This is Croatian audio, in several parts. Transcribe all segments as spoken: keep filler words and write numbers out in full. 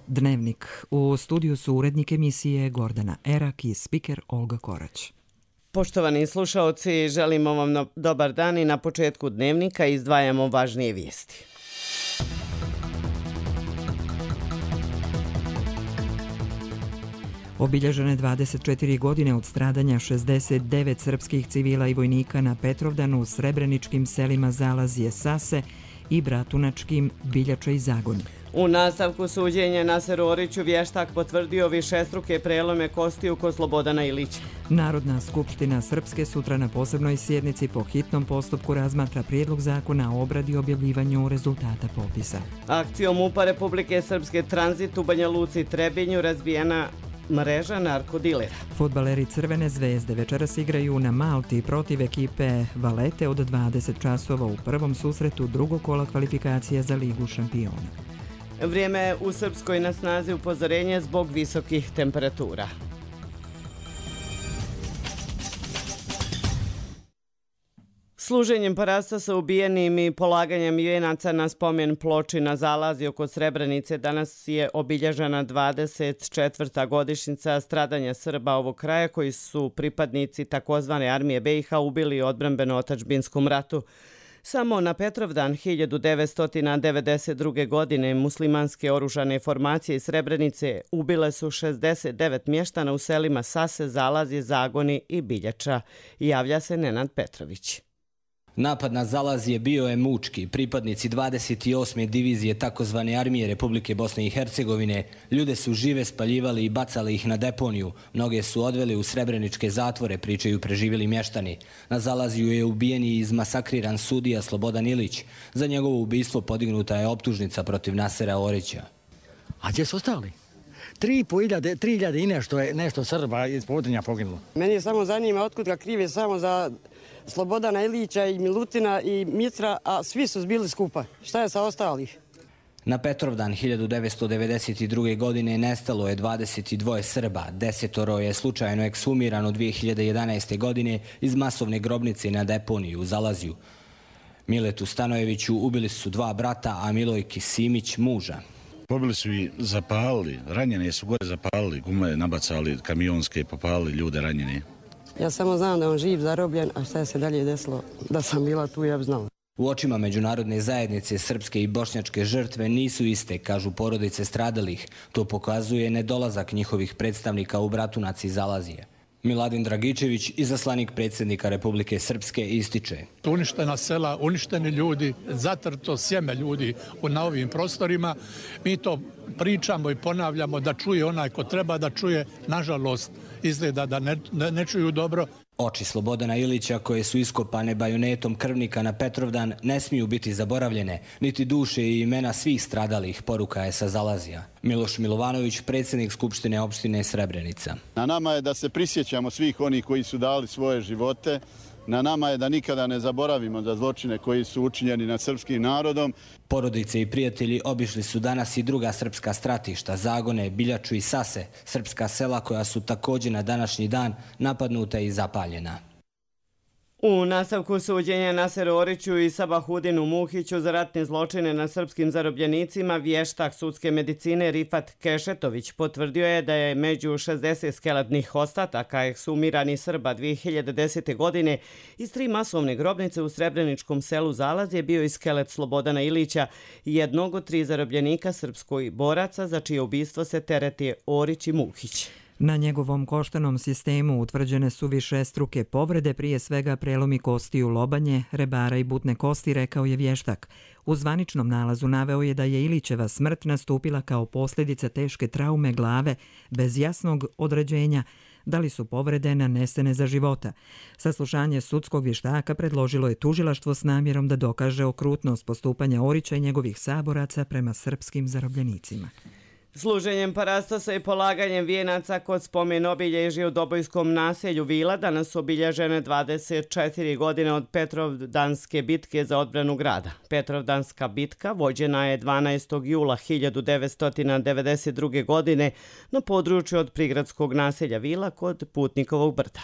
Dnevnik. U studiju su urednik emisije Gordana Erak i spiker Olga Korać. Poštovani slušaoci, želimo vam no, dobar dan i na početku Dnevnika izdvajamo važnije vijesti. Obilježene dvadeset četiri godine od stradanja šezdeset devet srpskih civila i vojnika na Petrovdanu u srebreničkim selima Zalazije, Sase i Bratunačkim, Biljača i Zagoni. U nastavku suđenja Naseru Oriću vještak potvrdio višestruke prelome kostiju kod Slobodana Ilića. Narodna skupština Srpske sutra na posebnoj sjednici po hitnom postupku razmatra prijedlog zakona o obradi i objavljivanju rezultata popisa. Akcijom MUP-a Republike Srpske Tranzit u Banja Luci i Trebinju razbijena mreža narkodilera. Fudbaleri Crvene zvezde večeras igraju na Malti protiv ekipe Valete od dvadeset časova u prvom susretu drugog kola kvalifikacija za Ligu šampiona. Vrijeme u Srpskoj na snazi upozorenje zbog visokih temperatura. Služenjem parasta sa ubijenim i polaganjem vijenaca na spomen ploči na Zalaziju kod Srebrenice danas je obilježena dvadeset četvrta godišnjica stradanja Srba ovog kraja koji su pripadnici takozvane armije be i ha ubili u odbrambeno-otadžbinskom ratu. Samo na Petrovdan hiljadu devetsto devedeset druge. godine muslimanske oružane formacije iz Srebrenice ubile su šezdeset devet mještana u selima Sase, Zalazije, Zagoni i Biljača. Javlja se Nenad Petrović. Napad na Zalazije bio je mučki. Pripadnici dvadeset osme divizije takozvane armije Republike Bosne i Hercegovine ljude su žive spaljivali i bacali ih na deponiju. Mnoge su odveli u srebreničke zatvore, pričaju preživjeli mještani. Na Zalaziju je ubijen i izmasakriran sudija Slobodan Ilić. Za njegovo ubistvo podignuta je optužnica protiv Nasera Orića. A gdje su ostali? Tri hiljade i nešto je nešto Srba iz Podrinja poginulo. Meni je samo zanima otkud ga krive samo za Slobodana Ilića i Milutina i Mitra, a svi su zbili skupa. Šta je sa ostalih? Na Petrovdan hiljadu devetsto devedeset druge. godine nestalo je dvadeset dva Srba. Desetoro je slučajno ekshumirano dvije hiljade jedanaeste. godine iz masovne grobnice na deponiju u Zalaziju. Miletu Stanojeviću ubili su dva brata, a Milojki Simić muža. Pobili su i zapalili, ranjene su gore zapalili, gume nabacali, kamionske, popalili ljude ranjene. Ja samo znam da on živ, zarobljen, a šta je se dalje desilo, da sam bila tu, ja bi znala. U očima međunarodne zajednice srpske i bošnjačke žrtve nisu iste, kažu porodice stradalih. To pokazuje nedolazak njihovih predstavnika u Bratunac i Zalazije. Miladin Dragičević, izaslanik predsjednika Republike Srpske, ističe. Uništena sela, uništeni ljudi, zatrto sjeme ljudi na ovim prostorima. Mi to pričamo i ponavljamo da čuje onaj ko treba da čuje. Nažalost, izgleda da ne, ne, ne čuju dobro. Oči Slobodana Ilića, koje su iskopane bajonetom krvnika na Petrovdan, ne smiju biti zaboravljene, niti duše i imena svih stradalih, poruka je sa Zalazija. Miloš Milovanović, predsjednik Skupštine opštine Srebrenica. Na nama je da se prisjećamo svih onih koji su dali svoje živote. Na nama je da nikada ne zaboravimo za zločine koji su učinjeni nad srpskim narodom. Porodice i prijatelji obišli su danas i druga srpska stratišta, Zagone, Biljaču i Sase, srpska sela koja su također na današnji dan napadnuta i zapaljena. U nastavku suđenja Naseru Oriću i Sabahudinu Muhiću za ratne zločine na srpskim zarobljenicima vještak sudske medicine Rifat Kešetović potvrdio je da je među šezdeset skeletnih ostataka ekshumiranih Srba dvije hiljade desete. godine iz tri masovne grobnice u srebreničkom selu Zalazije bio i skelet Slobodana Ilića, jednog od tri zarobljenika srpskoj boraca za čije ubistvo se tereti Orić i Muhić. Na njegovom koštanom sistemu utvrđene su višestruke povrede, prije svega prelomi kostiju lobanje, rebara i butne kosti, rekao je vještak. U zvaničnom nalazu naveo je da je Ilićeva smrt nastupila kao posljedica teške traume glave bez jasnog određenja da li su povrede nanesene za života. Saslušanje sudskog vještaka predložilo je tužilaštvo s namjerom da dokaže okrutnost postupanja Orića i njegovih saboraca prema srpskim zarobljenicima. Služenjem parastasa i polaganjem vijenaca kod spomen obilježja u Dobojskom naselju Vila danas su obilježene dvadeset četiri godine od Petrovdanske bitke za odbranu grada. Petrovdanska bitka vođena je dvanaestog jula hiljadu devetsto devedeset druge. godine na području od prigradskog naselja Vila kod Putnikovog brda.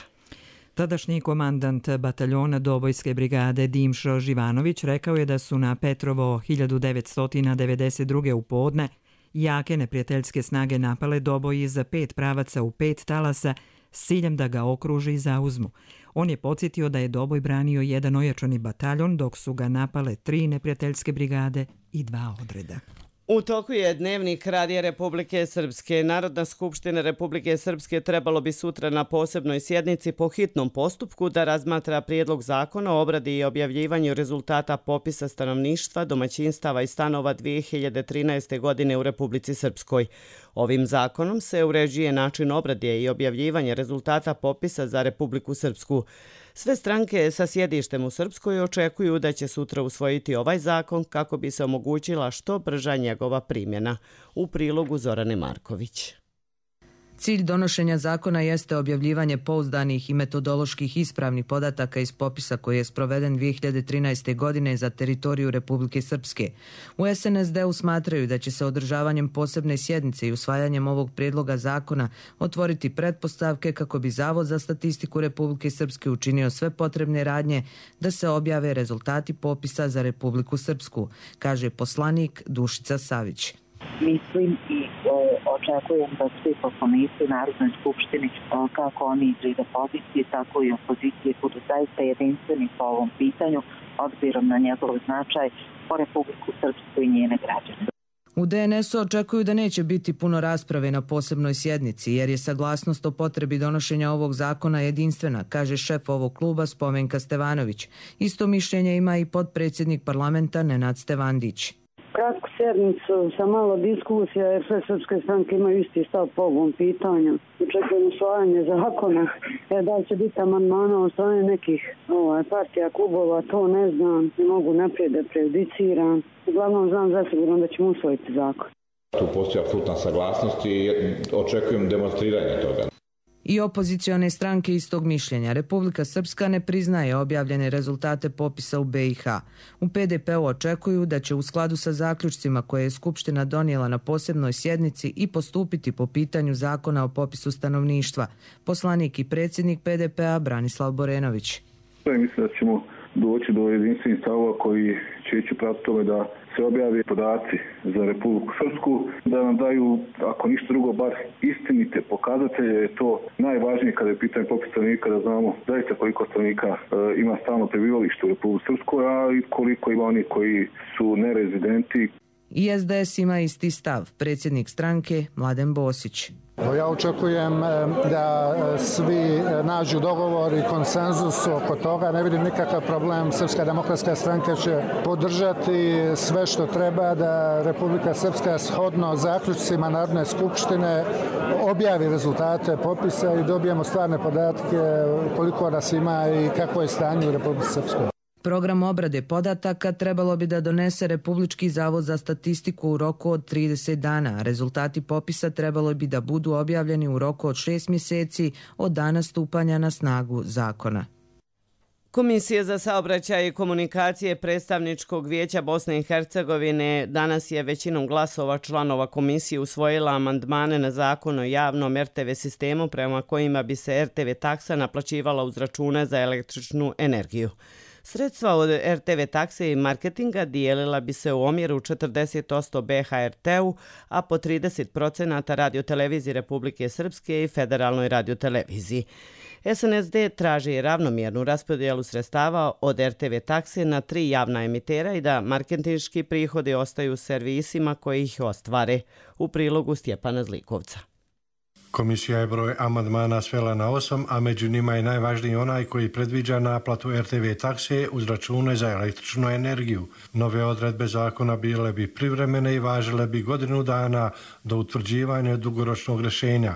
Tadašnji komandant bataljona Dobojske brigade Dimšo Živanović rekao je da su na Petrovo hiljadu devetsto devedeset druge. u podne Jake neprijateljske snage napale Doboj iz pet pravaca u pet talasa s ciljem da ga okruži i zauzmu. On je podsjetio da je Doboj branio jedan ojačani bataljon, dok su ga napale tri neprijateljske brigade i dva odreda. U toku je dnevnik Radija Republike Srpske. Narodna skupština Republike Srpske trebalo bi sutra na posebnoj sjednici po hitnom postupku da razmatra prijedlog zakona o obradi i objavljivanju rezultata popisa stanovništva, domaćinstava i stanova dvije hiljade trinaeste. godine u Republici Srpskoj. Ovim zakonom se uređuje način obrade i objavljivanja rezultata popisa za Republiku Srpsku. Sve stranke sa sjedištem u Srpskoj očekuju da će sutra usvojiti ovaj zakon kako bi se omogućila što brža njegova primjena. U prilogu Zorane Marković. Cilj donošenja zakona jeste objavljivanje pouzdanih i metodoloških ispravnih podataka iz popisa koji je sproveden dvije hiljade trinaeste. godine za teritoriju Republike Srpske. U es en es de u smatraju da će se održavanjem posebne sjednice i usvajanjem ovog prijedloga zakona otvoriti pretpostavke kako bi Zavod za statistiku Republike Srpske učinio sve potrebne radnje da se objave rezultati popisa za Republiku Srpsku, kaže poslanik Dušica Savić. Mislim i očekujem da svi poslanici u Narodnoj skupštini, kako oni iz reda pozicije, tako i opozicije, budu zaista jedinstveni po ovom pitanju, obzirom na njegov značaj po Republiku Srpsku i njene građane. U de en esu očekuju da neće biti puno rasprave na posebnoj sjednici, jer je saglasnost o potrebi donošenja ovog zakona jedinstvena, kaže šef ovog kluba Spomenka Stevanović. Isto mišljenje ima i potpredsjednik parlamenta Nenad Stevandić. Kratku sjednicu sa malo diskusija, jer sve srpske stranke imaju isti stav po ovom pitanju. Očekujem usvajanje zakona, jer da li će biti amandmana od strane nekih ovaj, partija, klubova, to ne znam, ne mogu naprijed da prejudiciram. Uglavnom znam zasigurno da ćemo usvojiti zakon. Tu postoji apsolutna saglasnost i očekujem demonstriranje toga. I opozicione stranke istog mišljenja. Republika Srpska ne priznaje objavljene rezultate popisa u be i ha. U pe de pe u očekuju da će u skladu sa zaključcima koje je Skupština donijela na posebnoj sjednici i postupiti po pitanju zakona o popisu stanovništva. Poslanik i predsjednik pe de pe a Branislav Borenović. Mislim da ćemo doći do jedinstvenih stavova koji će ići prati tome da se objave podaci za Republiku Srpsku, da nam daju, ako ništa drugo, bar istinite pokazatelje. Je to najvažnije kada je pitanje popis stanovnika, da znamo zaista koliko stanovnika e, ima stalno prebivalište u Republiku Srpskoj, a i koliko ima oni koji su nerezidenti. I es de es ima isti stav, predsjednik stranke Mladen Bosić. Ja očekujem da svi nađu dogovor i konsenzus oko toga. Ne vidim nikakav problem. Srpska demokratska stranka će podržati sve što treba da Republika Srpska shodno zaključcima Narodne skupštine objavi rezultate popisa i dobijemo stvarne podatke koliko nas ima i kako je stanje u Republici Srpskoj. Program obrade podataka trebalo bi da donese Republički zavod za statistiku u roku od trideset dana. Rezultati popisa trebalo bi da budu objavljeni u roku od šest mjeseci od dana stupanja na snagu zakona. Komisija za saobraćaj i komunikacije Predstavničkog vijeća Bosne i Hercegovine danas je većinom glasova članova komisije usvojila amandmane na zakon o javnom er te ve sistemu prema kojima bi se er te ve taksa naplaćivala uz račune za električnu energiju. Sredstva od er te ve takse i marketinga dijelila bi se u omjeru četrdeset posto be ha er te-u, a po trideset posto radioteleviziji Republike Srpske i Federalnoj radioteleviziji. es en es de traži ravnomjernu raspodjelu sredstava od er te ve takse na tri javna emitera i da marketinški prihodi ostaju servisima koji ih ostvare. U prilogu Stjepana Zlikovca. Komisija je broj amandmana svela na osam, a među njima je najvažniji onaj koji predviđa naplatu er te ve takse uz račune za električnu energiju. Nove odredbe zakona bile bi privremene i važile bi godinu dana do utvrđivanja dugoročnog rješenja.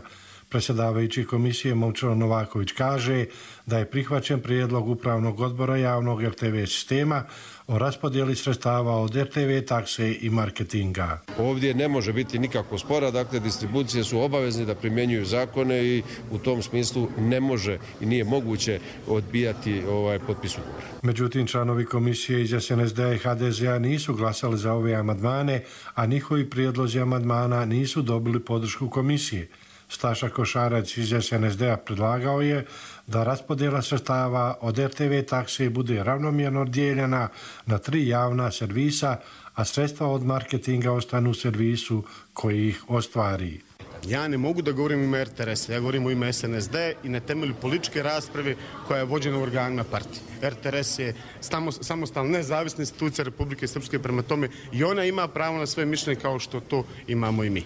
Predsjedavajući komisije Momčilo Novaković kaže da je prihvaćen prijedlog Upravnog odbora javnog er te ve sistema o raspodjeli sredstava od er te ve takse i marketinga. Ovdje ne može biti nikako spora, dakle distribucije su obavezni da primjenjuju zakone i u tom smislu ne može i nije moguće odbijati ovaj potpis ugovora. Međutim, članovi komisije iz es en es de i ha de ze a nisu glasali za ove amandmane, a njihovi prijedlozi amandmana nisu dobili podršku komisije. Staša Košarac iz es en es de a predlagao je da raspodjela sredstava od er te ve takse bude ravnomjerno dijeljena na tri javna servisa, a sredstva od marketinga ostanu u servisu koji ih ostvari. Ja ne mogu da govorim u ime R T R S, ja govorim u ime S N S D i na temelju političke rasprave koja je vođena u organima partije. R T R S je samostalna nezavisna institucija Republike Srpske, prema tome i ona ima pravo na svoje mišljenje kao što to imamo i mi.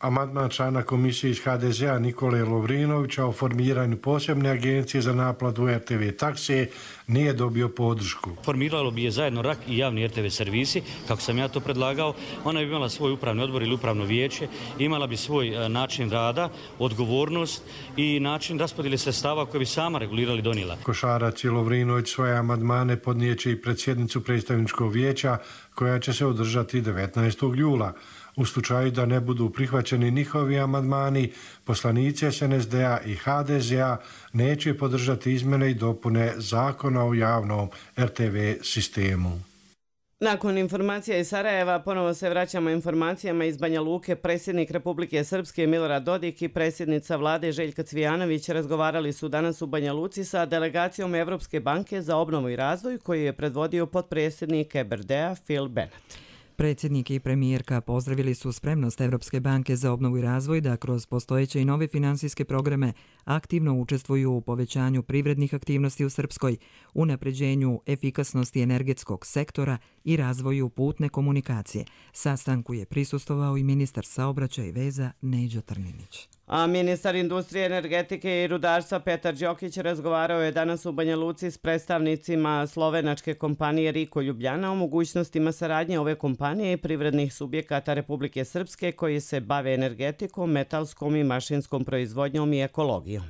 Amandman člana komisije iz H D Z a Nikole Lovrinovića o formiranju posebne agencije za naplatu R T V takse nije dobio podršku. Formiralo bi je zajedno R A K i javni R T V servisi, kako sam ja to predlagao. Ona bi imala svoj upravni odbor ili upravno vijeće, imala bi svoj način rada, odgovornost i način raspodjele sredstava koje bi sama regulirali i donijela. Košarac i Lovrinović svoje amandmane podnijeće i pred sjednicu predstavničkog vijeća koja će se održati devetnaestog jula. U slučaju da ne budu prihvaćeni njihovi amandmani, poslanici S N S D a i H D Z a neće podržati izmjene i dopune Zakona o javnom R T V sistemu. Nakon informacija iz Sarajeva ponovo se vraćamo informacijama iz Banja Luke. Predsjednik Republike Srpske Milorad Dodik i predsjednica vlade Željka Cvijanović razgovarali su danas u Banja Luci sa delegacijom Evropske banke za obnovu i razvoj koju je predvodio potpredsjednik E B R D-a Phil Bennett. Predsjednik i premijerka pozdravili su spremnost Evropske banke za obnovu i razvoj da kroz postojeće i nove finansijske programe aktivno učestvuju u povećanju privrednih aktivnosti u Srpskoj, unapređenju efikasnosti energetskog sektora i razvoju putne komunikacije. Sastanku je prisustvovao i ministar saobraćaja i veza Neđo Trninić. A ministar industrije, energetike i rudarstva Petar Đokić razgovarao je danas u Banja Luci s predstavnicima slovenačke kompanije Riko Ljubljana o mogućnostima saradnje ove kompanije i privrednih subjekata Republike Srpske koji se bave energetikom, metalskom i mašinskom proizvodnjom i ekologijom.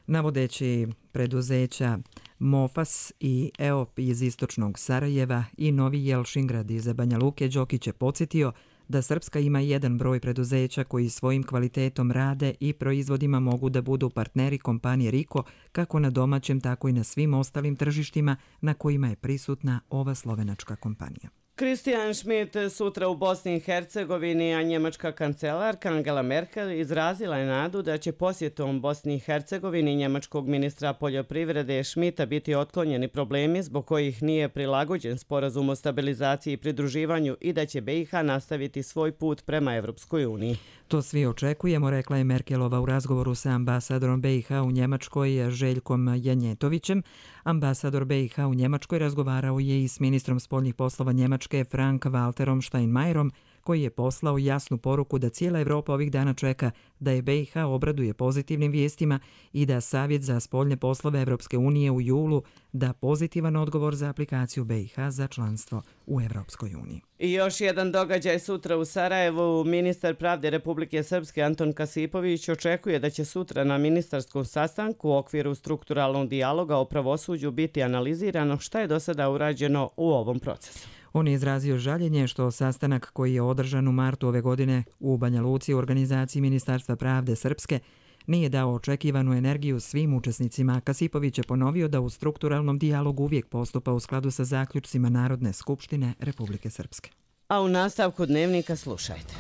Navodeći preduzeća Mofas i E O P iz istočnog Sarajeva i Novi Jelšingrad iz Banja Luke, Đokić je podsjetio da Srpska ima jedan broj preduzeća koji svojim kvalitetom rade i proizvodima mogu da budu partneri kompanije Riko kako na domaćem, tako i na svim ostalim tržištima na kojima je prisutna ova slovenačka kompanija. Christian Schmidt sutra u Bosni i Hercegovini, a njemačka kancelarka Angela Merkel izrazila je nadu da će posjetom Bosni i Hercegovini njemačkog ministra poljoprivrede Schmidta biti otklonjeni problemi zbog kojih nije prilagođen sporazum o stabilizaciji i pridruživanju i da će B i H nastaviti svoj put prema Evropskoj uniji. To svi očekujemo, rekla je Merkelova u razgovoru sa ambasadorom B i H u Njemačkoj Željkom Janjetovićem. Ambasador B i H u Njemačkoj razgovarao je i s ministrom spoljnih poslova Njemačke Frank Walterom Steinmeierom, koji je poslao jasnu poruku da cijela Evropa ovih dana čeka da je B i H obraduje pozitivnim vijestima i da Savjet za spoljne poslove Evropske unije u julu da pozitivan odgovor za aplikaciju B i H za članstvo u Evropskoj uniji. I još jedan događaj sutra u Sarajevu. Ministar pravde Republike Srpske Anton Kasipović očekuje da će sutra na ministarskom sastanku u okviru strukturalnog dijaloga o pravosuđu biti analizirano šta je do sada urađeno u ovom procesu. On je izrazio žaljenje što sastanak koji je održan u martu ove godine u Banja Luci u organizaciji Ministarstva pravde Srpske nije dao očekivanu energiju svim učesnicima. Kasipović je ponovio da u strukturalnom dijalogu uvijek postupa u skladu sa zaključcima Narodne skupštine Republike Srpske. A u nastavku dnevnika slušajte.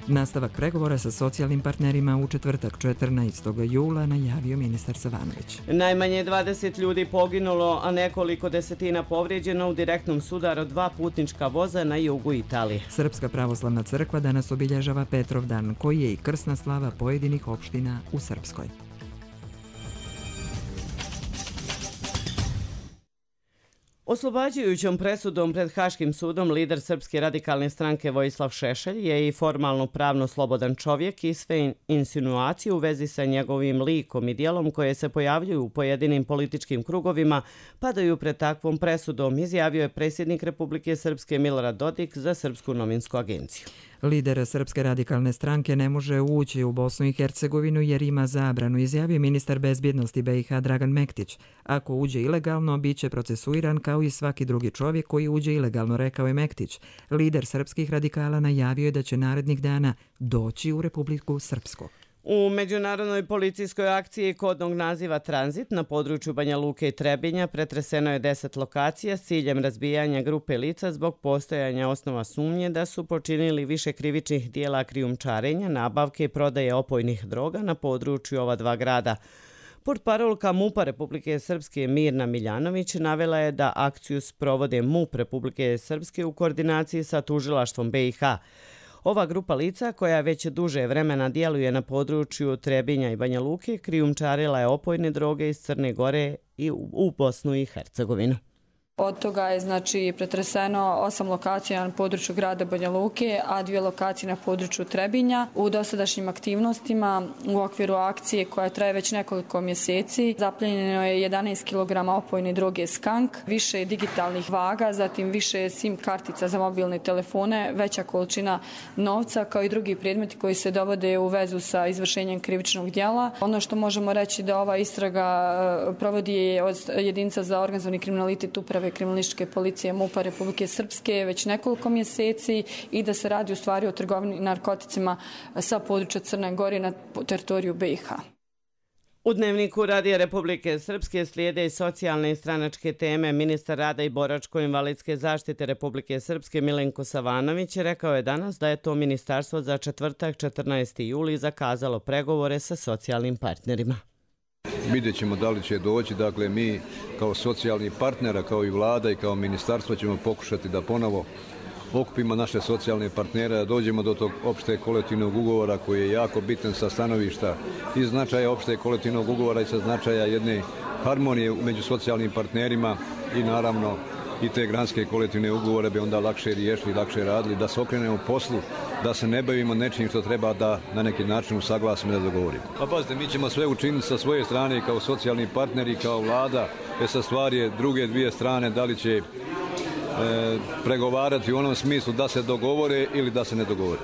Nastavak pregovora sa socijalnim partnerima u četvrtak četrnaestog jula najavio ministar Savanović. Najmanje dvadeset ljudi poginulo, a nekoliko desetina povrijeđeno u direktnom sudaru dva putnička voza na jugu Italije. Srpska pravoslavna crkva danas obilježava Petrovdan, koji je i krsna slava pojedinih opština u Srpskoj. Oslobađajućom presudom pred Haškim sudom lider Srpske radikalne stranke Vojislav Šešelj je i formalno pravno slobodan čovjek i sve insinuacije u vezi sa njegovim likom i dijelom koje se pojavljuju u pojedinim političkim krugovima padaju pred takvom presudom, izjavio je predsjednik Republike Srpske Milorad Dodik za Srpsku novinsku agenciju. Lider Srpske radikalne stranke ne može ući u Bosnu i Hercegovinu jer ima zabranu, izjavio ministar bezbjednosti B i H Dragan Mektić. Ako uđe ilegalno, bit će procesuiran kao i svaki drugi čovjek koji uđe ilegalno, rekao je Mektić. Lider srpskih radikala najavio je da će narednih dana doći u Republiku Srpsku. U međunarodnoj policijskoj akciji kodnog naziva Tranzit na području Banja Luke i Trebinja pretreseno je deset lokacija s ciljem razbijanja grupe lica zbog postojanja osnova sumnje da su počinili više krivičnih dijela krijumčarenja, nabavke i prodaje opojnih droga na području ova dva grada. Portparolka MUP-a Republike Srpske Mirna Miljanović navela je da akciju sprovode MUP Republike Srpske u koordinaciji sa tužilaštvom B i H. Ova grupa lica, koja već duže vremena djeluje na području Trebinja i Banja Luke, krijumčarila je opojne droge iz Crne Gore i u Bosnu i Hercegovinu. Od toga je znači pretreseno osam lokacija na području grada Banja Luke, a dvije lokacije na području Trebinja. U dosadašnjim aktivnostima u okviru akcije koja traje već nekoliko mjeseci zaplijenjeno je jedanaest kilograma opojne droge Skank, više digitalnih vaga, zatim više SIM kartica za mobilne telefone, veća količina novca kao i drugi predmeti koji se dovode u vezu sa izvršenjem krivičnog djela. Ono što možemo reći da ova istraga provodi od jedinica za organizovani kriminalitet uprave kriminalističke policije MUP-a Republike Srpske već nekoliko mjeseci i da se radi u stvari o trgovini narkoticima sa područja Crne Gore na teritoriju B i H. U Dnevniku Radija Republike Srpske slijede i socijalne i stranačke teme. Ministar rada i boračko-invalidske zaštite Republike Srpske Milenko Savanović rekao je danas da je to ministarstvo za četvrtak četrnaesti juli zakazalo pregovore sa socijalnim partnerima. Vidjet ćemo da li će doći, dakle mi kao socijalni partnera, kao i vlada i kao ministarstvo ćemo pokušati da ponovo okupimo naše socijalne partnere, da dođemo do tog opšte kolektivnog ugovora koji je jako bitan sa stanovišta i značaja opšte kolektivnog ugovora i sa značaja jedne harmonije među socijalnim partnerima i naravno i te granske kolektivne ugovore bi onda lakše riješili, lakše radili, da se okrenemo poslu, da se ne bavimo nečim što treba da na neki način usaglasimo da dogovorimo. Pa pazite, mi ćemo sve učiniti sa svoje strane kao socijalni partneri, kao vlada, jer sa stvari je druge dvije strane da li će e, pregovarati u onom smislu da se dogovore ili da se ne dogovore.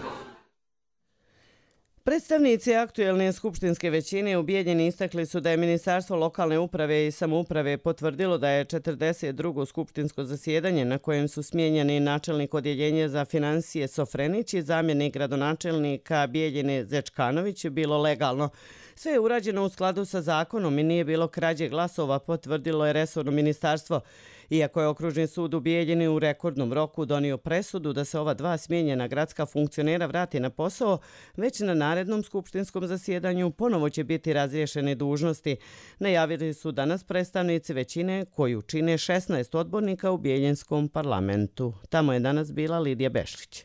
Predstavnici aktuelne skupštinske većine u Bijeljini istakli su da je Ministarstvo lokalne uprave i samouprave potvrdilo da je četrdeset drugo skupštinsko zasjedanje na kojem su smijenjeni načelnik odjeljenja za financije Sofrenić i zamjenik gradonačelnika Bijeljine Zečkanović bilo legalno. Sve je urađeno u skladu sa zakonom i nije bilo krađe glasova, potvrdilo je resorno ministarstvo. Iako je okružni sud u Bijeljini u rekordnom roku donio presudu da se ova dva smijenjena gradska funkcionera vrati na posao, već na narednom skupštinskom zasjedanju ponovo će biti razriješene dužnosti. Najavili su danas predstavnici većine koju čine šesnaest odbornika u Bijeljinskom parlamentu. Tamo je danas bila Lidija Bešlić.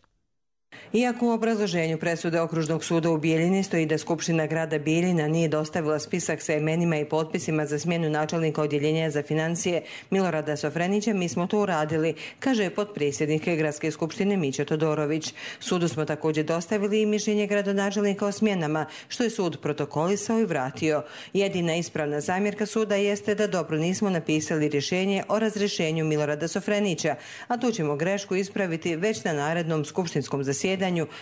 Iako u obrazloženju presude Okružnog suda u Bijeljini stoji da Skupština grada Bijeljina nije dostavila spisak sa imenima i potpisima za smjenu načelnika odjeljenja za financije Milorada Sofrenića, mi smo to uradili, kaže potpredsjednik Gradske skupštine Mića Todorović. Sudu smo također dostavili i mišljenje gradonačelnika o smjenama, što je sud protokolisao i vratio. Jedina ispravna zamjerka suda jeste da dobro nismo napisali rješenje o razrješenju Milorada Sofrenića, a tu ćemo grešku ispraviti već na narednom skupštinskom zasjedanju,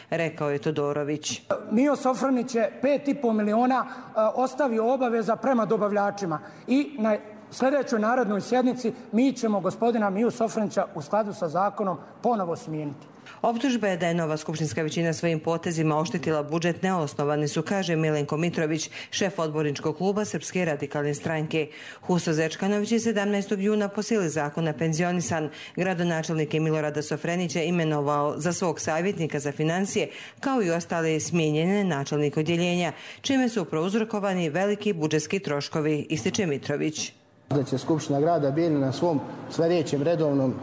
rekao je Todorović. Mio Sofrenić je pet i pol miliona ostavio obaveza prema dobavljačima i na sljedećoj narodnoj sjednici mi ćemo gospodina Miju Sofrenića u skladu sa zakonom ponovo smijeniti. Optužba je da je nova skupštinska većina svojim potezima oštetila budžet neosnovani su, kaže Milenko Mitrović, šef odborničkog kluba Srpske radikalne stranke. Huso Zečkanović je sedamnaestog juna po sili zakona penzionisan. Gradonačelnik je Milorada Sofrenića imenovao za svog savjetnika za financije, kao i ostale smijenjene načelnike odjeljenja, čime su prouzrokovani veliki budžetski troškovi, ističe Mitrović. Da će Skupština grada Bijeljina na svom sljedećem redovnom e,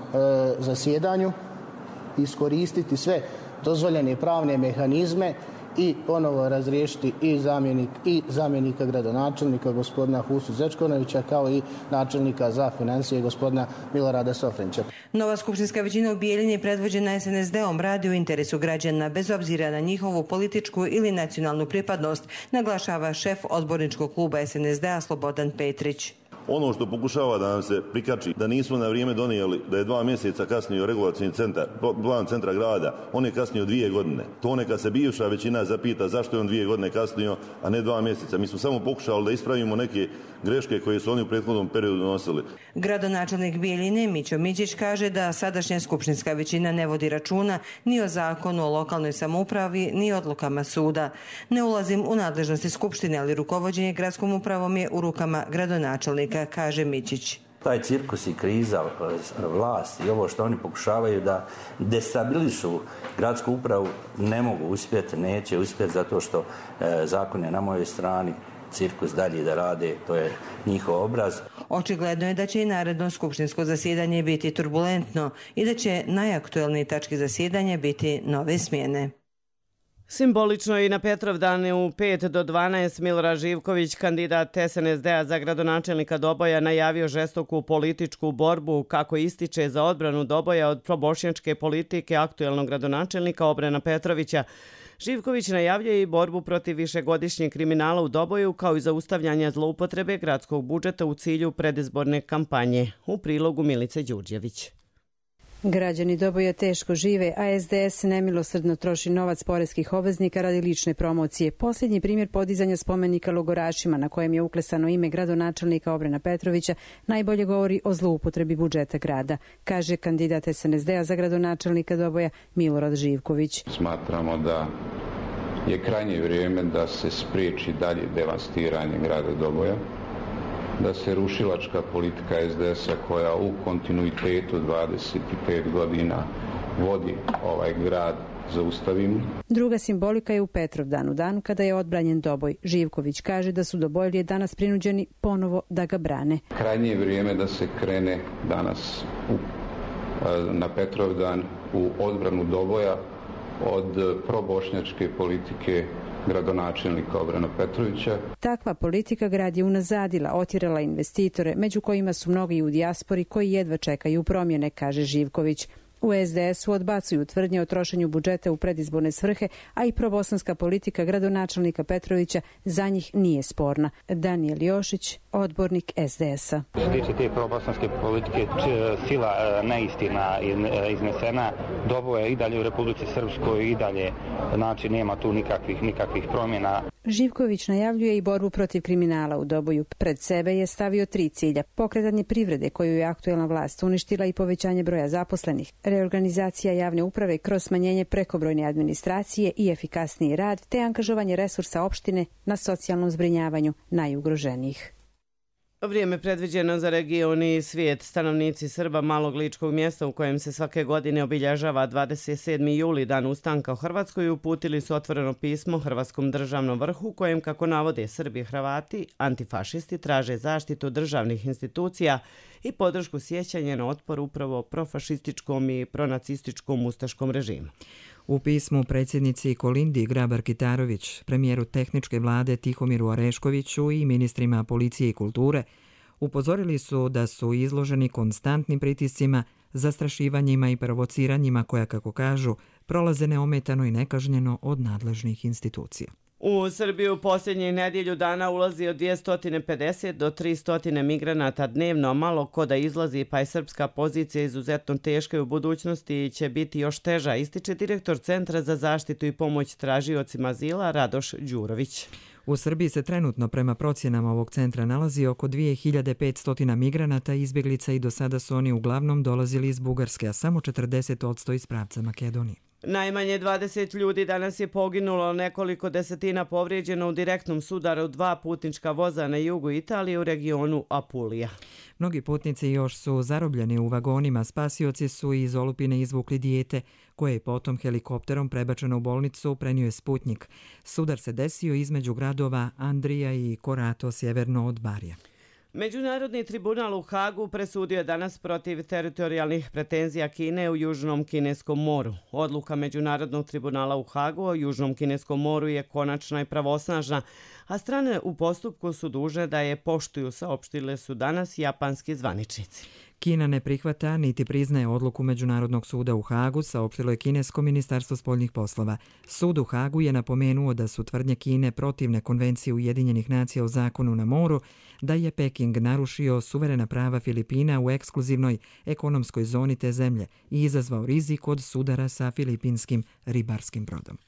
zasjedanju iskoristiti sve dozvoljene pravne mehanizme i ponovo razriješiti i, zamjenik, i zamjenika gradonačelnika gospodina Husu Zečkonovića kao i načelnika za financije gospodina Milorada Sofrenića. Nova skupštinska većina u Bijeljini je predvođena es en es de-om radi u interesu građana bez obzira na njihovu političku ili nacionalnu pripadnost, naglašava šef odborničkog kluba es en es de-a Slobodan Petrić. Ono što pokušava da nam se prikači da nismo na vrijeme donijeli, da je dva mjeseca kasnio regulacijni centar, plan centra grada, on je kasnio dvije godine. To neka se bivša većina zapita zašto je on dvije godine kasnio, a ne dva mjeseca. Mi smo samo pokušali da ispravimo neke greške koje su oni u prethodnom periodu donosili. Gradonačelnik Bijeljine Mićo Mićić kaže da sadašnja skupštinska većina ne vodi računa ni o zakonu o lokalnoj samoupravi, ni odlukama suda. Ne ulazim u nadležnosti skupštine, ali rukovođenje gradskom upravom je u rukama gradonačelnika, kaže Mićić. Taj cirkus i kriza, vlast i ovo što oni pokušavaju da destabilišu gradsku upravu ne mogu uspjeti, neće uspjeti zato što e, zakon je na mojoj strani. cirkus dalje da rade, to je njihov obraz. Očigledno je da će i naredno skupštinsko zasjedanje biti turbulentno i da će najaktuelnije tačke zasjedanja biti nove smjene. Simbolično i na Petrovdan u pet do dvanaest Milorad Živković, kandidat S N S D-a za gradonačelnika Doboja, najavio žestoku političku borbu, kako ističe, za odbranu Doboja od probošnjačke politike aktuelnog gradonačelnika Obrena Petrovića. Živković najavljuje i borbu protiv višegodišnjeg kriminala u Doboju, kao i zaustavljanja zloupotrebe gradskog budžeta u cilju predizborne kampanje. U prilogu Milice Đurđević. Građani Doboja teško žive, a S D S nemilosrdno troši novac poreskih obveznika radi lične promocije. Posljednji primjer podizanja spomenika logorašima, na kojem je uklesano ime gradonačelnika Obrena Petrovića, najbolje govori o zloupotrebi budžeta grada, kaže kandidat S N S D-a za gradonačelnika Doboja Milorad Živković. Smatramo da je krajnje vrijeme da se spriječi dalje devastiranje grada Doboja, da se rušilačka politika S D S-a koja u kontinuitetu dvadeset pet godina vodi ovaj grad zaustavimo. Druga simbolika je u Petrovdanu, danu kada je odbranjen Doboj. Živković kaže da su Dobojlije danas prinuđeni ponovo da ga brane. Krajnje je vrijeme da se krene danas u, na Petrovdan u odbranu Doboja od probošnjačke politike gradonačelnika Obrena Petrovića. Takva politika grad je unazadila, otjerala investitore, među kojima su mnogi u dijaspori koji jedva čekaju promjene, kaže Živković. U S D S-u odbacuju tvrdnje o trošenju budžeta u predizborne svrhe, a i probosanska politika gradonačelnika Petrovića za njih nije sporna. Danijel Jošić, odbornik S D S-a. Što se tiče te probosanske politike, sila neistina iznesena, Doboje je i dalje u Republici Srpskoj, i dalje, znači nema tu nikakvih, nikakvih promjena. Živković najavljuje i borbu protiv kriminala u Doboju. Pred sebe je stavio tri cilja: pokretanje privrede koju je aktuelna vlast uništila i povećanje broja zaposlenih, reorganizacija javne uprave kroz smanjenje prekobrojne administracije i efikasniji rad, te angažovanje resursa opštine na socijalnom zbrinjavanju najugroženijih. Vrijeme predviđeno za region i svijet. Stanovnici Srba malog ličkog mjesta u kojem se svake godine obilježava dvadeset sedmi juli, dan ustanka u Hrvatskoj, uputili su otvoreno pismo Hrvatskom državnom vrhu, kojem, kako navode Srbi i Hrvati, antifašisti traže zaštitu državnih institucija i podršku sjećanja na otpor upravo profašističkom i pronacističkom ustaškom režimu. U pismu predsjednici Kolindi Grabar-Kitarović, premijeru tehničke vlade Tihomiru Oreškoviću i ministrima policije i kulture upozorili su da su izloženi konstantnim pritiscima, zastrašivanjima i provociranjima koja, kako kažu, prolaze neometano i nekažnjeno od nadležnih institucija. U Srbiju posljednjih nedjelju dana ulazi od dvjesto pedeset do tristo migranata dnevno, malo ko da izlazi, pa je srpska pozicija izuzetno teška i u budućnosti će biti još teža, ističe direktor Centra za zaštitu i pomoć tražiocima azila Radoš Đurović. U Srbiji se trenutno prema procjenama ovog centra nalazi oko dvije hiljade petsto migranata i izbjeglica i do sada su oni uglavnom dolazili iz Bugarske, a samo četrdeset posto iz pravca Makedonije. Najmanje dvadeset ljudi danas je poginulo, nekoliko desetina povrijeđeno u direktnom sudaru dva putnička voza na jugu Italije u regionu Apulija. Mnogi putnici još su zarobljeni u vagonima. Spasioci su iz olupine izvukli dijete, koje je potom helikopterom prebačeno u bolnicu, prenio je Sputnjik. Sudar se desio između gradova Andrija i Korato, sjeverno od Barija. Međunarodni tribunal u Hagu presudio je danas protiv teritorijalnih pretenzija Kine u Južnom Kineskom moru. Odluka Međunarodnog tribunala u Hagu o Južnom Kineskom moru je konačna i pravosnažna, a strane u postupku su dužne da je poštuju, saopštile su danas japanski zvaničnici. Kina ne prihvata niti priznaje odluku Međunarodnog suda u Hagu, saopštilo je kinesko ministarstvo spoljnih poslova. Sud u Hagu je napomenuo da su tvrdnje Kine protivne konvencije Ujedinjenih nacija o zakonu na moru, da je Peking narušio suverena prava Filipina u ekskluzivnoj ekonomskoj zoni te zemlje i izazvao rizik od sudara sa filipinskim ribarskim brodom.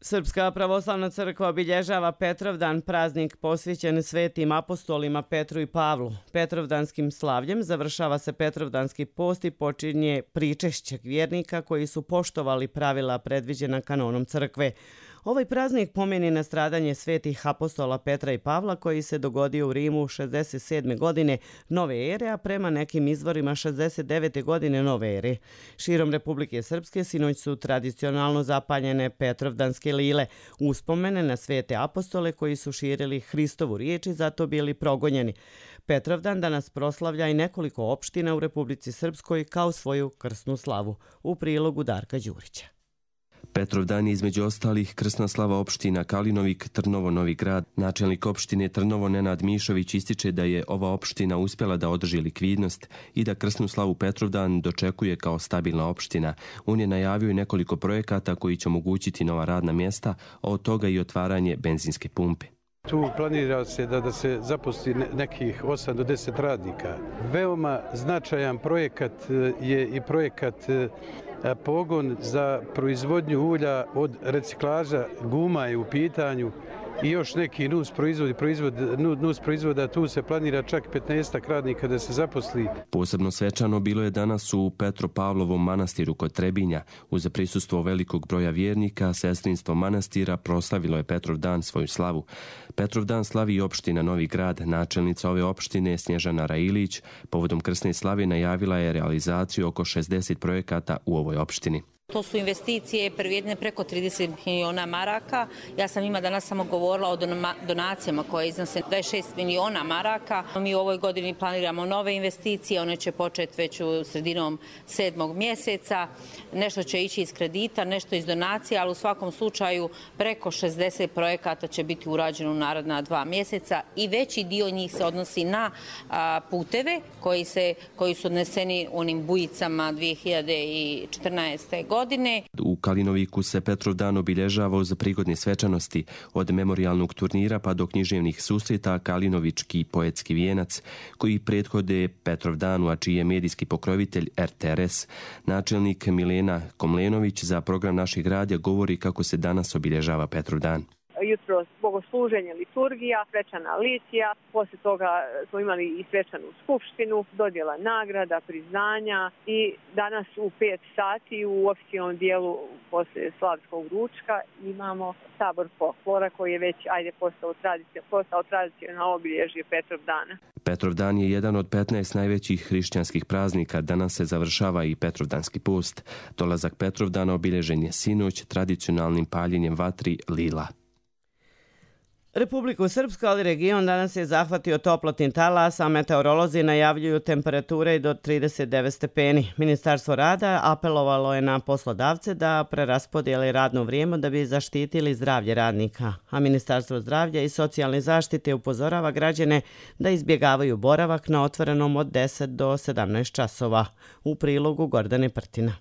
Srpska pravoslavna crkva obilježava Petrovdan, praznik posvećen svetim apostolima Petru i Pavlu. Petrovdanskim slavljem završava se Petrovdanski post i počinje pričešćeg vjernika koji su poštovali pravila predviđena kanonom crkve. Ovaj praznik pomeni na stradanje svetih apostola Petra i Pavla koji se dogodio u Rimu šezdeset sedme godine nove ere, a prema nekim izvorima šezdeset devete godine nove ere. Širom Republike Srpske sinoć su tradicionalno zapaljene Petrovdanske lile, uspomene na svete apostole koji su širili Hristovu riječ i zato bili progonjeni. Petrovdan danas proslavlja i nekoliko opština u Republici Srpskoj kao svoju krsnu slavu. U prilogu Darka Đurića. Petrovdan je između ostalih krsna slava opština Kalinovik, Trnovo, Novi Grad. Načelnik opštine Trnovo Nenad Mišović ističe da je ova opština uspjela da održi likvidnost i da krsnu slavu Petrovdan dočekuje kao stabilna opština. On je najavio i nekoliko projekata koji će omogućiti nova radna mjesta, a od toga i otvaranje benzinske pumpe. Tu planira se da, da se zaposli nekih osam do deset radnika. Veoma značajan projekat je i projekat pogon za proizvodnju ulja od reciklaža guma je u pitanju i još neki nus proizvodi, proizvod, nus proizvoda, tu se planira čak petnaestak radnika da se zaposli. Posebno svečano bilo je danas u Petropavlovom manastiru kod Trebinja. Uz prisustvo velikog broja vjernika, sestrinstvo manastira proslavilo je Petrovdan svoju slavu. Petrovdan slavi i opština Novi Grad. Načelnica ove opštine Snježana Railić povodom krsne slave najavila je realizaciju oko šezdeset projekata u ovoj opštini. To su investicije prvrijedne preko trideset miliona maraka. Ja sam ima danas samo govorila o donacijama koje iznose dvadeset šest miliona maraka. Mi u ovoj godini planiramo nove investicije, one će početi već u sredinom sedmog mjeseca. Nešto će ići iz kredita, nešto iz donacija, ali u svakom slučaju preko šezdeset projekata će biti urađeno u naredna dva mjeseca i veći dio njih se odnosi na a, puteve koji, se, koji su odneseni onim bujicama dvije hiljade četrnaeste. godine. U Kalinoviku se Petrovdan obilježava uz prigodne svečanosti, od memorijalnog turnira pa do književnih susreta Kalinovički poetski vijenac, koji prethode Petrovdanu, a čiji je medijski pokrovitelj R T R S. Načelnik Milena Komlenović za program Našeg radija govori kako se danas obilježava Petrovdan. Jutro bogosluženje, liturgija, svečana litija, poslije toga smo imali i svečanu skupštinu, dodjela nagrada, priznanja i danas u pet sati u oficijalnom dijelu poslije slavskog ručka imamo sabor folklora koji je već ajde postao tradicionalno postao tradicionalno obilježje Petrovdana. Petrovdan je jedan od petnaest najvećih hrišćanskih praznika. Danas se završava i Petrovdanski post. Dolazak Petrovdana obilježen je sinoć tradicionalnim paljenjem vatri lila. Republiku Srpsku, ali region danas je zahvatio toplotni talas, a meteorolozi najavljuju temperature do trideset devet stepeni. Ministarstvo rada apelovalo je na poslodavce da preraspodijele radno vrijeme da bi zaštitili zdravlje radnika, a Ministarstvo zdravlja i socijalne zaštite upozorava građane da izbjegavaju boravak na otvorenom od deset do sedamnaest časova. U prilogu Gordane Prtina.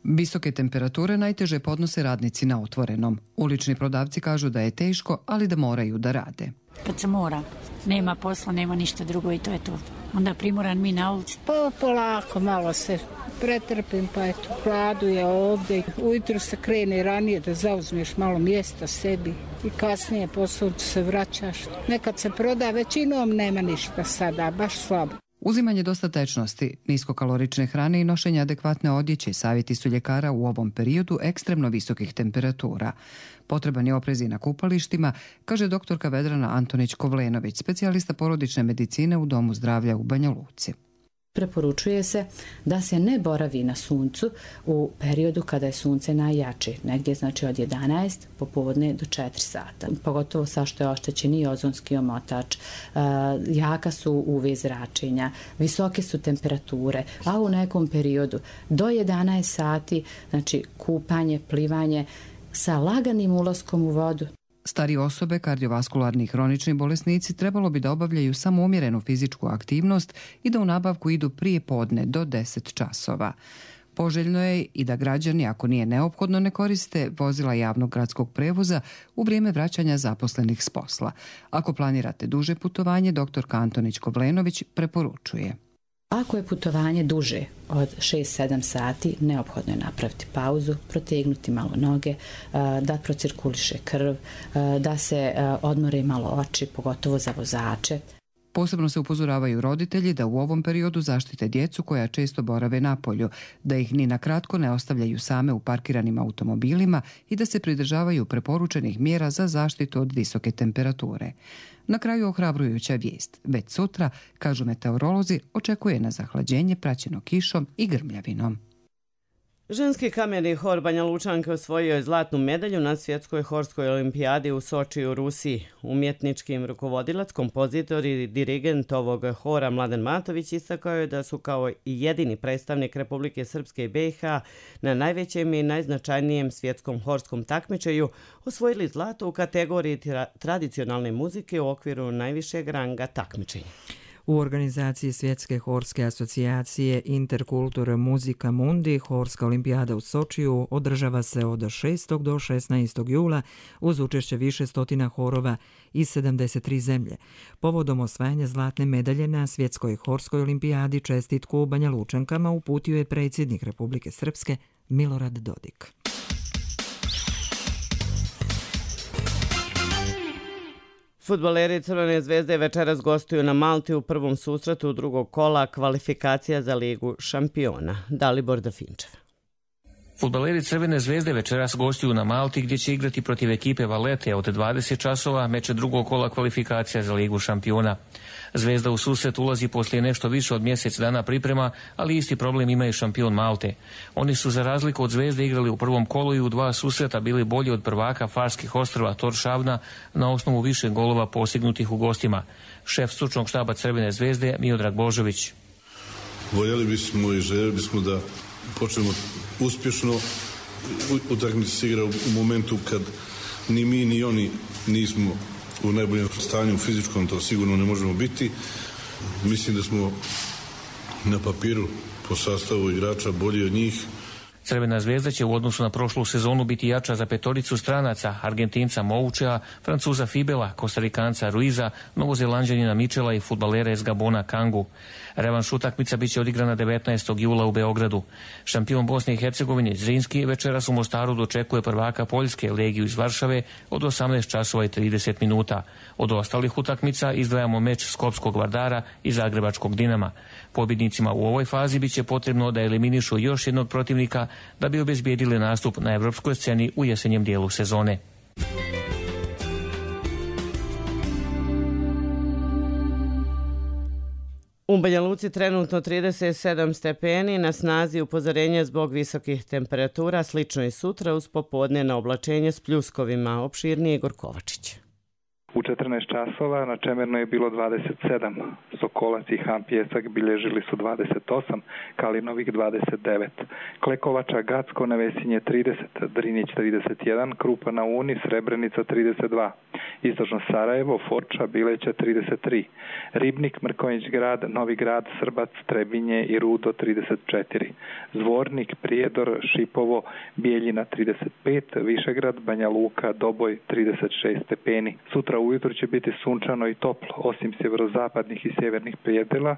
Visoke temperature najteže podnose radnici na otvorenom. Ulični prodavci kažu da je teško, ali da moraju da rade. Kad se mora, nema posla, nema ništa drugo i to je to. Onda primoran mi na ulici. Pa polako, malo se pretrpim, pa eto, hladu je ovdje. Ujutro se krene ranije da zauzmeš malo mjesta sebi i kasnije posao se vraćaš. Nekad se proda, većinom nema ništa sada, baš slabo. Uzimanje dosta tečnosti, niskokalorične hrane i nošenje adekvatne odjeće savjeti su ljekara u ovom periodu ekstremno visokih temperatura. Potreban je oprez i na kupalištima, kaže doktorka Vedrana Antonić-Kovlenović, specijalista porodične medicine u Domu zdravlja u Banja Luci. Preporučuje se da se ne boravi na suncu u periodu kada je sunce najjače, negdje znači od jedanaest popodne do četiri sata. Pogotovo sa što je oštećen i ozonski omotač, jaka su U V zračenja, visoke su temperature, a u nekom periodu do jedanaest sati, znači kupanje, plivanje sa laganim ulaskom u vodu. Stari osobe, kardiovaskularni i hronični bolesnici trebalo bi da obavljaju samo umjerenu fizičku aktivnost i da u nabavku idu prije podne do deset časova. Poželjno je i da građani, ako nije neophodno, ne koriste vozila javnog gradskog prevoza u vrijeme vraćanja zaposlenih s posla. Ako planirate duže putovanje, doktor Antonić-Kovlenović preporučuje. Ako je putovanje duže od šest sedam sati, neophodno je napraviti pauzu, protegnuti malo noge, da procirkuliše krv, da se odmore malo oči, pogotovo za vozače. Posebno se upozoravaju roditelji da u ovom periodu zaštite djecu koja često borave napolju, da ih ni na kratko ne ostavljaju same u parkiranim automobilima i da se pridržavaju preporučenih mjera za zaštitu od visoke temperature. Na kraju ohrabrujuća vijest. Već sutra, kažu meteorolozi, očekuje na zahlađenje praćeno kišom i grmljavinom. Ženski kamerni hor Banja Lučanke osvojio je zlatnu medalju na svjetskoj horskoj olimpijadi u Soči u Rusiji. Umjetnički rukovodilac, kompozitor i dirigent ovog hora Mladen Matović istakao je da su kao i jedini predstavnik Republike Srpske i B i H na najvećem i najznačajnijem svjetskom horskom takmičenju osvojili zlato u kategoriji tra- tradicionalne muzike u okviru najvišeg ranga takmičenja. U organizaciji Svjetske horske asocijacije Interkultur Muzika Mundi Horska olimpijada u Sočiju održava se od šestog do šesnaestog jula uz učešće više stotina horova iz sedamdeset tri zemlje. Povodom osvajanja zlatne medalje na Svjetskoj horskoj olimpijadi čestitku Banja Lučankama uputio je predsjednik Republike Srpske Milorad Dodik. Fudbaleri Crvene zvezde večeras gostuju na Malti u prvom susretu drugog kola kvalifikacija za Ligu šampiona. Dalibor Dafinčev. Fudbaleri Crvene zvezde večeras gostuju na Malti gdje će igrati protiv ekipe Valete od dvadeset časova meče drugog kola kvalifikacija za Ligu šampiona. Zvezda u susret ulazi poslije nešto više od mjesec dana priprema, ali isti problem ima i šampion Malte. Oni su za razliku od Zvezde igrali u prvom kolu i u dva susreta bili bolji od prvaka Farskih ostrva Torshavna na osnovu više golova postignutih u gostima. Šef stručnog štaba Crvene zvezde Miodrag Božović. Voljeli bismo i željeli bismo da počnemo uspješno. Utakmica se igra u momentu kad ni mi ni oni nismo u najboljem stanju fizičkom, to sigurno ne možemo biti. Mislim da smo na papiru po sastavu igrača bolji od njih. Crvena zvezda će u odnosu na prošlu sezonu biti jača za petoricu stranaca, Argentinca Moučea, Francuza Fibela, Kostarikanca Ruiza, Novozelanđanina Mičela i fudbalera iz Gabona Kangu. Revanš utakmica biće odigrana devetnaestog jula u Beogradu. Šampion Bosne i Hercegovine Zrinski večeras u Mostaru dočekuje prvaka Poljske Legiju iz Varšave od osamnaest časova i trideset minuta. Od ostalih utakmica izdvajamo meč Skopskog Vardara i Zagrebačkog Dinama. Pobjednicima u ovoj fazi biće potrebno da eliminišu još jednog protivnika da bi obezbijedili nastup na evropskoj sceni u jesenjem dijelu sezone. U Banja Luci trenutno trideset sedam stepeni, na snazi upozorenje zbog visokih temperatura, slično i sutra uz popodne na oblačenje s pljuskovima. Opširnije Igor Kovačić. U četrnaest časova na Čemerno je bilo dvadeset sedam, Sokolac i Han Pjesak bilježili su dvadeset osam, Kalinovik dvadeset devet, Klekovača, Gacko, Nevesinje trideset, Drinić trideset jedan, Krupa na Uni, Srebrenica trideset dva, Istočno Sarajevo, Foča, Bileća trideset tri, Ribnik, Mrkonjić grad, Novi grad, Srbac, Trebinje i Rudo trideset četiri, Zvornik, Prijedor, Šipovo, Bijeljina trideset pet, Višegrad, Banja Luka, Doboj trideset šest stepeni. Sutra ujutro će biti sunčano i toplo, osim sjeverozapadnih i sjevernih predjela,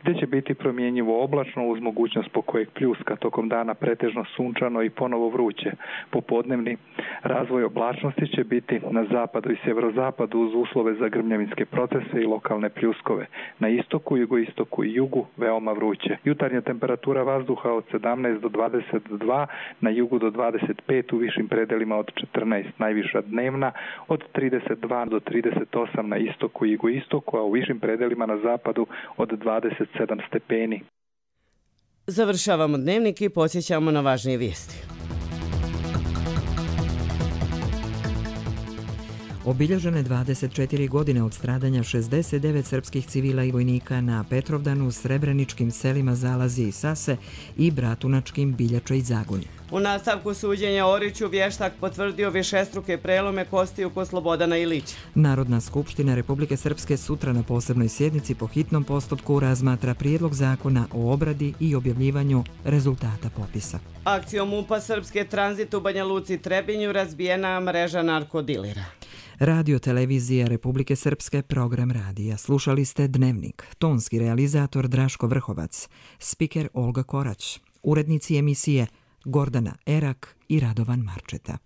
gdje će biti promjenjivo oblačno uz mogućnost pokojeg pljuska, tokom dana pretežno sunčano i ponovo vruće. Popodnevni razvoj oblačnosti će biti na zapadu i sjeverozapadu uz uslove za grmljavinske procese i lokalne pljuskove. Na istoku, jugoistoku i jugu veoma vruće. Jutarnja temperatura vazduha od sedamnaest do dvadeset dva, na jugu do dvadeset pet, u višim predelima od četrnaest, najviša dnevna od trideset dva do trideset osam na istoku i jugoistoku, a u višim predelima na zapadu od dvadeset sedam stepeni. Završavamo dnevnik i podsjećamo na važnije vijesti. Obilježene dvadeset četiri godine od stradanja šezdeset devet srpskih civila i vojnika na Petrovdanu, srebreničkim selima Zalazije i Sase i bratunačkim Biljača i Zagunje. U nastavku suđenja Oriću vještak potvrdio višestruke prelome kostiju kod Slobodana Ilića. Narodna skupština Republike Srpske sutra na posebnoj sjednici po hitnom postupku razmatra prijedlog zakona o obradi i objavljivanju rezultata popisa. Akcijom M U P-a Srpske tranzit u Banja Luci i Trebinju razbijena mreža narkodilera. Radio televizija Republike Srpske, program radija. Slušali ste Dnevnik. Tonski realizator Draško Vrhovac. Spiker Olga Korać. Urednici emisije Gordana Erak i Radovan Marčeta.